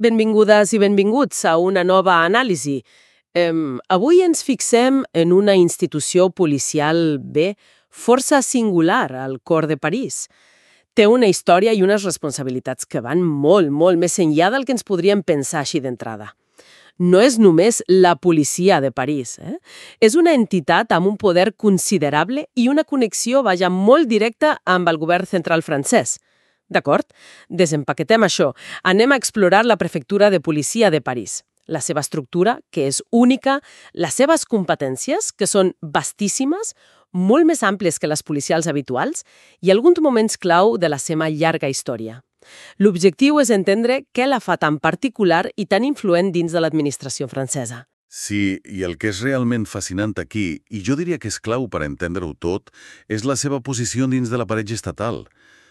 Benvingudes i benvinguts a una nova anàlisi. Avui ens fixem en una institució policial força singular al cor de París. Té una història i unes responsabilitats que van molt, molt més enllà del que ens podríem pensar així d'entrada. No és només la policia de París, És una entitat amb un poder considerable i una connexió, molt directa amb el govern central francès. D'acord? Desempaquetem això. Anem a explorar la prefectura de policia de París. La seva estructura, que és única, les seves competències, que són vastíssimes, molt més àmplies que les policials habituals, i alguns moments clau de la seva llarga història. L'objectiu és entendre què la fa tan particular i tan influent dins de l'administració francesa. Sí, i el que és realment fascinant aquí, i jo diria que és clau per entendre-ho tot, és la seva posició dins de l'aparell estatal,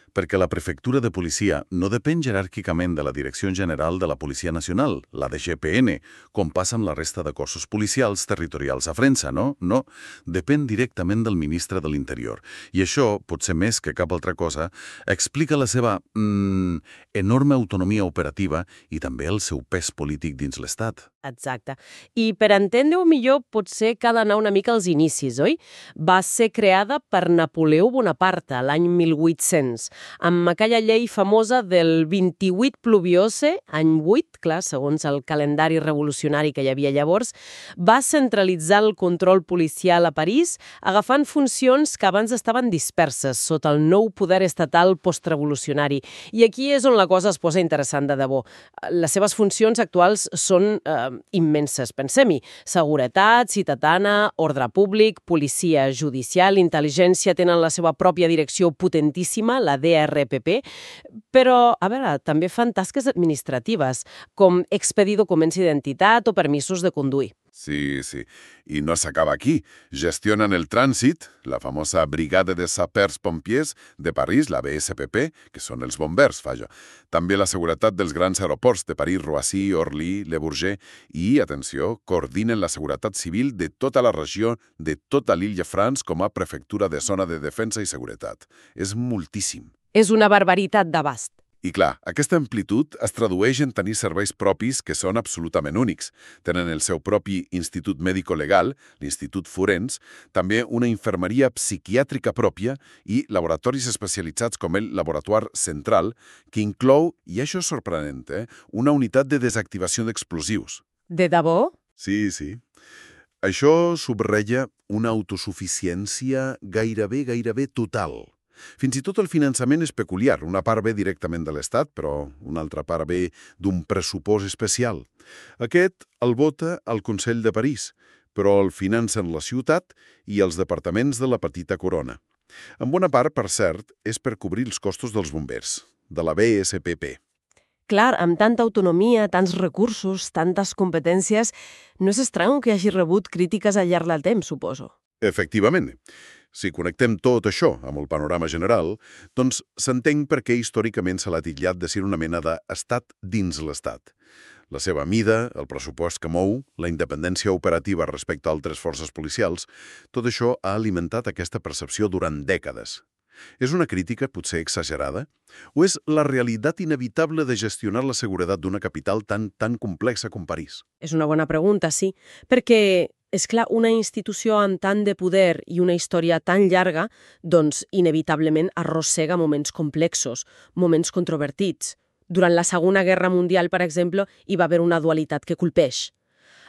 perquè la prefectura de policia no depèn jeràrquicament de la Direcció General de la Policia Nacional, la DGPN, com passa amb la resta de cossos policials territorials a França, no? No, depèn directament del ministre de l'Interior. I això, potser més que cap altra cosa, explica la seva enorme autonomia operativa i també el seu pes polític dins l'Estat. Exacte. I per entendre-ho millor, potser cal anar una mica als inicis, oi? Va ser creada per Napoleó Bonaparte l'any 1800, amb aquella llei famosa del 28 pluviose, any 8, clar, segons el calendari revolucionari que hi havia llavors, va centralitzar el control policial a París, agafant funcions que abans estaven disperses sota el nou poder estatal postrevolucionari. I aquí és on la cosa es posa interessant de debò. Les seves funcions actuals són immenses, pensem-hi. Seguretat, ciutadana, ordre públic, policia judicial, intel·ligència, tenen la seva pròpia direcció potentíssima, la DRPP, però, a veure, també fan tasques administratives, com expedir documents d'identitat o permisos de conduir. Sí. I no s'acaba aquí. Gestionen el trànsit, la famosa Brigada de Sapeurs-Pompiers de París, la BSPP, que són els bombers, vaja. També la seguretat dels grans aeroports de París, Roissy, Orly, Le Bourget i, atenció, coordinen la seguretat civil de tota la regió de tota l'Île-de-France com a prefectura de zona de defensa i seguretat. És moltíssim. És una barbaritat d'abast. I clar, aquesta amplitud es tradueix en tenir serveis propis que són absolutament únics. Tenen el seu propi institut mèdico-legal, l'Institut Forens, també una infermeria psiquiàtrica pròpia i laboratoris especialitzats com el Laboratoire Central, que inclou, i això és sorprenent, una unitat de desactivació d'explosius. De debò? Sí. Això subratlla una autosuficiència gairebé total. Fins i tot el finançament és peculiar. Una part ve directament de l'Estat, però una altra part ve d'un pressupost especial. Aquest el vota el Consell de París, però el financen la ciutat i els departaments de la petita corona. En bona part, per cert, és per cobrir els costos dels bombers, de la BSPP. Clar, amb tanta autonomia, tants recursos, tantes competències, no és estrany que hagi rebut crítiques al llarg del temps, suposo. Efectivament. Si connectem tot això amb el panorama general, doncs s'entén per què històricament se l'ha titllat de ser una mena d'estat dins l'estat. La seva mida, el pressupost que mou, la independència operativa respecte a altres forces policials, tot això ha alimentat aquesta percepció durant dècades. És una crítica potser exagerada? O és la realitat inevitable de gestionar la seguretat d'una capital tan complexa com París? És una bona pregunta, sí, perquè és clar, una institució amb tant de poder i una història tan llarga, doncs, inevitablement arrossega moments complexos, moments controvertits. Durant la Segona Guerra Mundial, per exemple, hi va haver una dualitat que colpeix.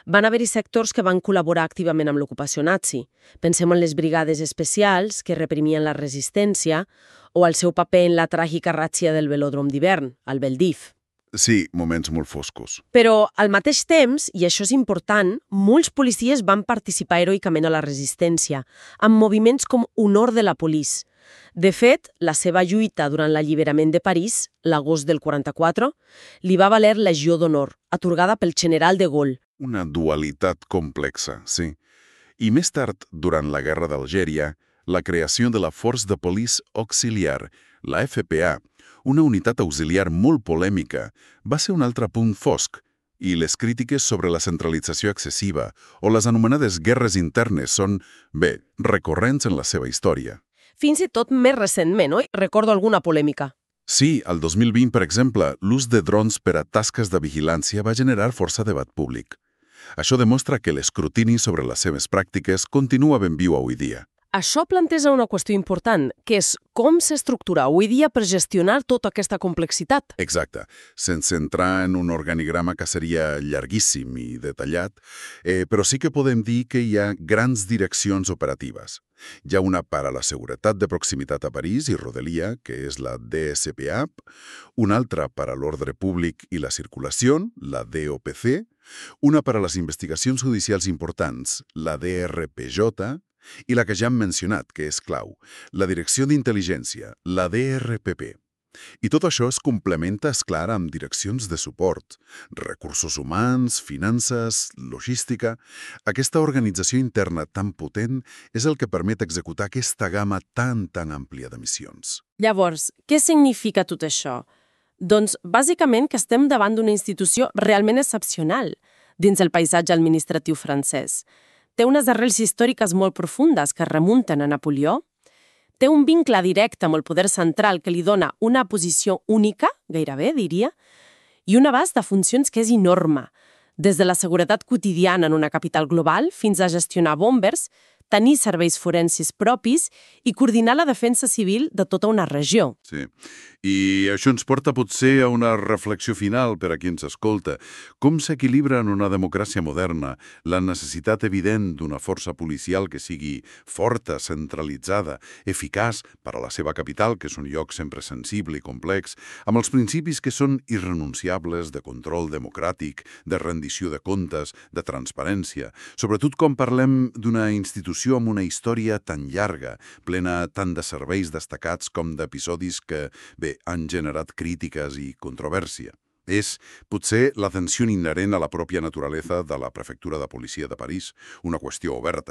Van haver-hi sectors que van col·laborar activament amb l'ocupació nazi. Pensem en les brigades especials que reprimien la resistència o el seu paper en la tràgica ràtzia del velòdrom d'hivern, el Veldiv. Sí, moments molt foscos. Però, al mateix temps, i això és important, molts policies van participar heroicament a la resistència, amb moviments com Honor de la Police. De fet, la seva lluita durant l'alliberament de París, l'agost del 44, li va valer Legió d'Honor, atorgada pel general de Gaulle. Una dualitat complexa, sí. I més tard, durant la Guerra d'Algèria, la creació de la Force de Police Auxiliar, la FPA, una unitat auxiliar molt polèmica, va ser un altre punt fosc, i les crítiques sobre la centralització excessiva o les anomenades guerres internes són, recorrents en la seva història. Fins i tot més recentment, oi? Recordo alguna polèmica. Sí, al 2020, per exemple, l'ús de drons per a tasques de vigilància va generar força debat públic. Això demostra que l'escrutini sobre les seves pràctiques continua ben viu avui dia. Això planteja una qüestió important, que és com s'estructura avui dia per gestionar tota aquesta complexitat. Exacte. Sense entrar en un organigrama que seria llarguíssim i detallat, però sí que podem dir que hi ha grans direccions operatives. Hi ha una per a la seguretat de proximitat a París i Rodelia, que és la DSPAP, una altra per a l'ordre públic i la circulació, la DOPC, una per a les investigacions judicials importants, la DRPJ, i la que ja hem mencionat, que és clau, la Direcció d'Intel·ligència, la DRPP. I tot això es complementa, és clar, amb direccions de suport, recursos humans, finances, logística. Aquesta organització interna tan potent és el que permet executar aquesta gamma tan àmplia de missions. Llavors, què significa tot això? Doncs, bàsicament, que estem davant d'una institució realment excepcional dins el paisatge administratiu francès. Té unes arrels històriques molt profundes que remunten a Napoleó, té un vincle directe amb el poder central que li dona una posició única, gairebé, diria, i un abast de funcions que és enorme, des de la seguretat quotidiana en una capital global fins a gestionar bombers, tenir serveis forensis propis i coordinar la defensa civil de tota una regió. Sí. I això ens porta potser a una reflexió final per a qui ens escolta. Com s'equilibra en una democràcia moderna la necessitat evident d'una força policial que sigui forta, centralitzada, eficaç per a la seva capital, que és un lloc sempre sensible i complex, amb els principis que són irrenunciables de control democràtic, de rendició de comptes, de transparència, sobretot quan parlem d'una institució amb una història tan llarga, plena tant de serveis destacats com d'episodis que, bé, han generat crítiques i controvèrsia. És, potser, la tensió inherent a la pròpia naturalesa de la prefectura de policia de París, una qüestió oberta,